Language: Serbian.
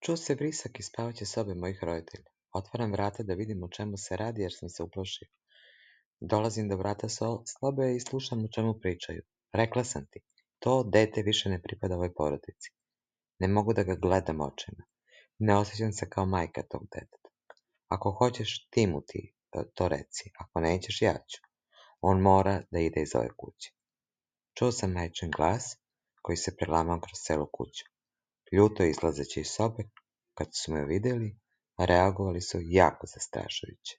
Čuo se vrisak iz spavaće sobe mojih roditelja. Otvaram vrata da vidim o čemu se radi jer sam se uplašio. Dolazim do vrata sobe i slušam o čemu pričaju. Rekla sam ti, to dete više ne pripada ovoj porodici. Ne mogu da ga gledam očima. Ne osjećam se kao majka tog deteta. Ako hoćeš, ti mu to reci. Ako nećeš, ja ću. On mora da ide iz ove kuće. Čuo sam majčin glas koji se prelamao kroz celu kuću. Ljuto izlazeći iz sobe, kad su me vidjeli, reagovali su jako zastrašujuće.